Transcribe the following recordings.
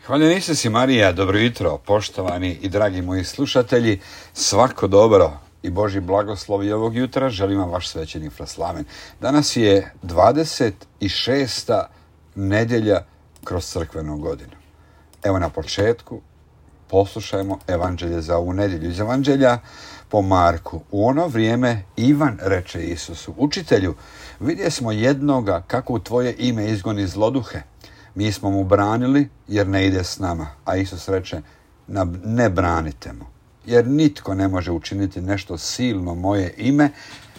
Hvaljen Isus i Marija, dobro jutro, poštovani i dragi moji slušatelji, svako dobro i Božji blagoslovi ovog jutra želim vam vaš svećenik Fraslaven. Danas je 26. nedjelja kroz crkvenu godinu. Evo na početku poslušajmo evanđelje za ovu nedjelju. Iz evanđelja po Marku. U ono vrijeme Ivan reče Isusu: Učitelju, vidje smo jednoga kako u tvoje ime izgoni zloduhe. Mi smo mu branili jer ne ide s nama. A Isus reče: ne branite mu, jer nitko ne može učiniti nešto silno moje ime,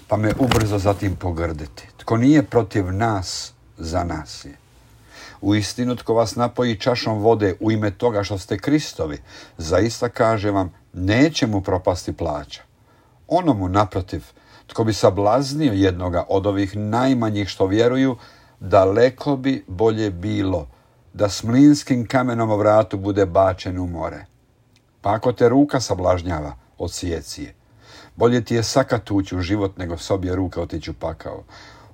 pa me ubrzo zatim pogrditi. Tko nije protiv nas, za nas je. Uistinu, tko vas napoji čašom vode u ime toga što ste Kristovi, zaista kažem vam, neće mu propasti plaća. Onomu naprotiv, tko bi sablaznio jednoga od ovih najmanjih što vjeruju, daleko bi bolje bilo da s mlinskim kamenom o vratu bude bačen u more. Pa ako te ruka sablažnjava, odsijeci je. Bolje ti je sakat ući u život nego s obje ruke otići u pakao,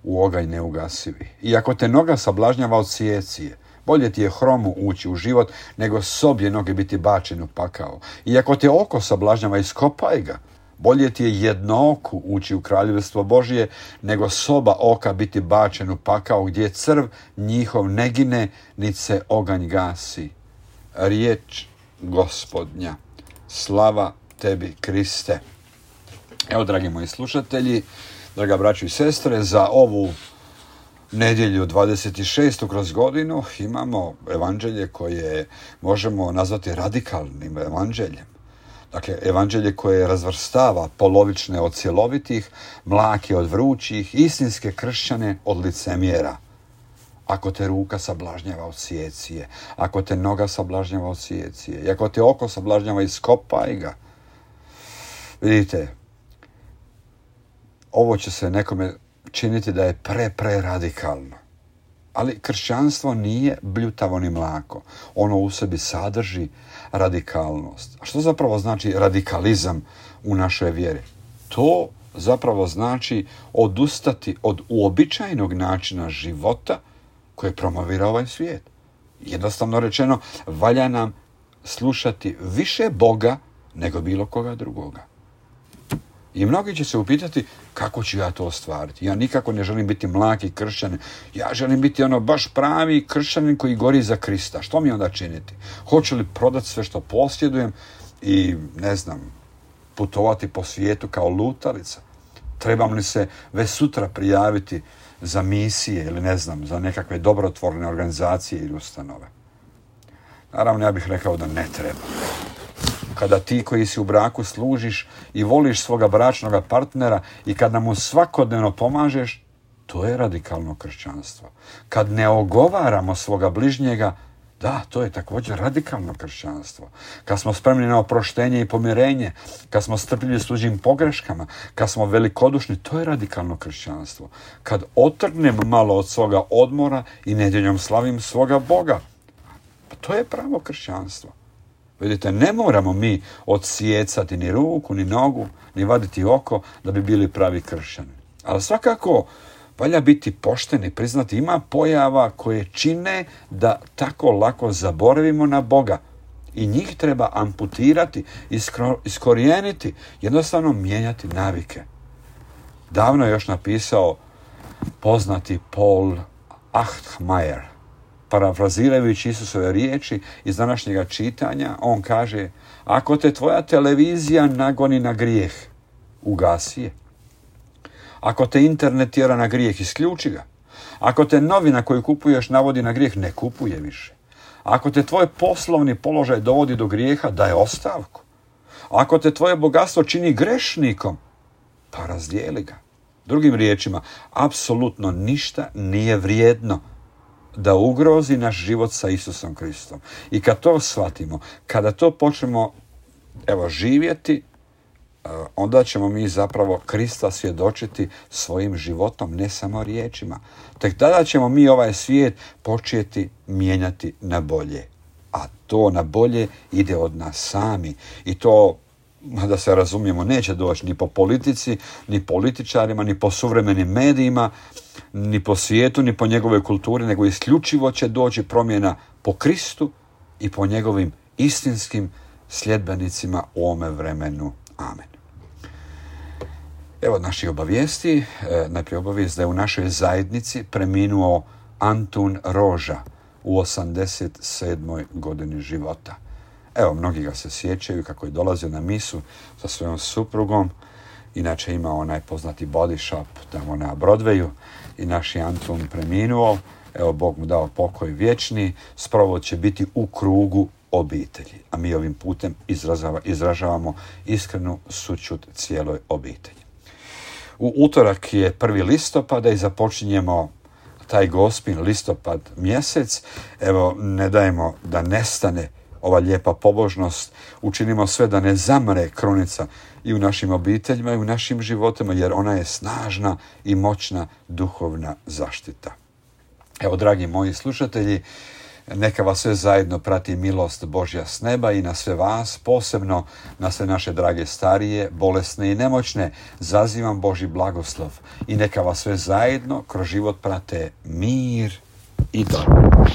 u oganj neugasivi. I ako te noga sablažnjava, odsijeci je. Bolje ti je hromu ući u život nego s obje noge biti bačen u pakao. I ako te oko sablažnjava, iskopaj ga. Bolje ti je jedno oku ući u kraljevstvo Božije, nego s oba oka biti bačen u pakao, gdje crv njihov ne gine, niti se oganj gasi. Riječ Gospodnja. Slava tebi, Kriste. Evo, dragi moji slušatelji, draga braćo i sestre, za ovu nedjelju 26. kroz godinu imamo evanđelje koje možemo nazvati radikalnim evanđeljem. Dakle, evanđelje koje razvrstava polovične od cjelovitih, mlake od vrućih, istinske kršćane od licemjera. Ako te ruka sablažnjava, odsijeci je. Ako te noga sablažnjava, odsijeci je. I ako te oko sablažnjava, iskopaj ga. Vidite, ovo će se nekome činiti da je pre radikalno. Ali kršćanstvo nije bljutavo ni mlako. Ono u sebi sadrži radikalnost. A što zapravo znači radikalizam u našoj vjeri? To zapravo znači odustati od uobičajenog načina života koje promovira ovaj svijet. Jednostavno rečeno, valja nam slušati više Boga nego bilo koga drugoga. I mnogi će se upitati: kako ću ja to ostvariti? Ja nikako ne želim biti mlaki kršćanin. Ja želim biti baš pravi kršćanin koji gori za Krista. Što mi onda činiti? Hoću li prodati sve što posjedujem i, putovati po svijetu kao lutalica? Trebam li se već sutra prijaviti za misije ili za nekakve dobrotvorne organizacije ili ustanove? Naravno, ja bih rekao da ne treba. Kada ti koji si u braku služiš i voliš svoga bračnog partnera i kada mu svakodnevno pomažeš, to je radikalno kršćanstvo. Kad ne ogovaramo svoga bližnjega, da, to je također radikalno kršćanstvo. Kad smo spremni na oproštenje i pomirenje, kad smo strpljivi s tuđim pogreškama, kad smo velikodušni, to je radikalno kršćanstvo. Kad otrgnem malo od svoga odmora i nedjeljom slavim svoga Boga, pa to je pravo kršćanstvo. Vidite, ne moramo mi odsijecati ni ruku, ni nogu, ni vaditi oko da bi bili pravi kršćani. Ali svakako valja biti pošten i priznati, ima pojava koje čine da tako lako zaboravimo na Boga. I njih treba amputirati, iskorijeniti, jednostavno mijenjati navike. Davno je još napisao poznati Paul Achtmajer. Parafrazirajući Isusove riječi iz današnjega čitanja, on kaže: ako te tvoja televizija nagoni na grijeh, ugasi je. Ako te internet tjera na grijeh, isključi ga. Ako te novina koju kupuješ navodi na grijeh, ne kupuje više. Ako te tvoj poslovni položaj dovodi do grijeha, daj ostavku. Ako te tvoje bogatstvo čini grešnikom, pa razdijeli ga. Drugim riječima, apsolutno ništa nije vrijedno da ugrozi naš život sa Isusom Kristom. I kad to shvatimo, kada to počnemo živjeti, onda ćemo mi zapravo Krista svjedočiti svojim životom, ne samo riječima. Tek tada ćemo mi ovaj svijet početi mijenjati na bolje. A to na bolje ide od nas sami. I to, da se razumijemo, neće doći ni po politici, ni političarima, ni po suvremenim medijima, ni po svijetu, ni po njegovoj kulturi, nego isključivo će doći promjena po Kristu i po njegovim istinskim sljedbenicima u ovome vremenu. Amen. Evo naših obavijesti. Najprije obavijest da je u našoj zajednici preminuo Antun Roža u 87. godini života. Evo, mnogi ga se sjećaju kako je dolazio na misu sa svojom suprugom. Inače ima onaj poznati body shop tamo na Broadwayu i naš je Antun preminuo. Evo, Bog mu dao pokoj vječni. Sprovod će biti u krugu obitelji. A mi ovim putem izražavamo iskrenu sućut cijeloj obitelji. U utorak je 1. listopada i započinjemo taj Gospin listopad mjesec. Evo, ne dajemo da nestane ova lijepa pobožnost. Učinimo sve da ne zamre krunica i u našim obiteljima i u našim životima, jer ona je snažna i moćna duhovna zaštita. Evo, dragi moji slušatelji, neka vas sve zajedno prati milost Božja s neba i na sve vas, posebno na sve naše drage starije, bolesne i nemoćne, zazivam Božji blagoslov i neka vas sve zajedno kroz život prate mir i dobro.